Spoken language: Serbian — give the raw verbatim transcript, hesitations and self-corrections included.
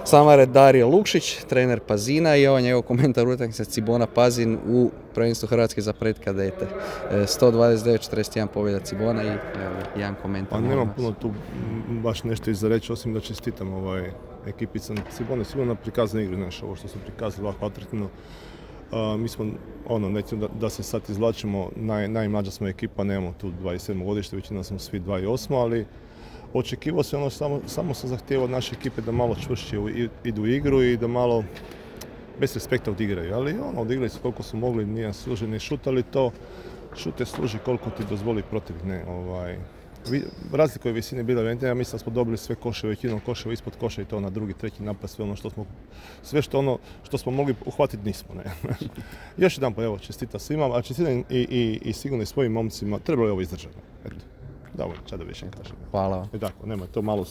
Samare Dario Lukšić, trener Pazina i ovo njegov komentar utakmice Cibona Pazin u prvenstvu Hrvatske za pred kadete. sto dvadeset devet četrdeset jedan pobjeda Cibona i evo, jedan komentar. Pa nemam puno tu baš nešto iza reći, osim da čestitam ovaj ekipica Cibone. Sigurno prikazana igru, znaš, ovo što su prikazali ovako atraktivno. Uh, mi smo, ono, nećemo da, da se sad izvlačimo, naj, najmlađa smo ekipa, nemamo tu dvadeset sedmo godište, većina smo svi dvadeset osam, ali očekivao se ono, samo, samo sam zahtijevao od naše ekipe da malo čvršće idu u igru i da malo bez respekta odigraju, ali ono, odigrali su koliko su mogli, nije služi ni šut, ali to šute služi koliko ti dozvoli protiv, ne, ovaj, razlika je visine bila evidentna, ja mislim da smo dobili sve koševe, većinom koševa ispod koša i to na drugi, treći napad, sve ono što smo, sve što ono što smo mogli uhvatiti nismo, ne. Još jedan pa evo, čestitam svima, a čestitam i, i, i sigurno i svojim momcima, trebalo je ovo izdržati, eto, dovoljno, ča da više kažem. Hvala vam. I tako, nema to malo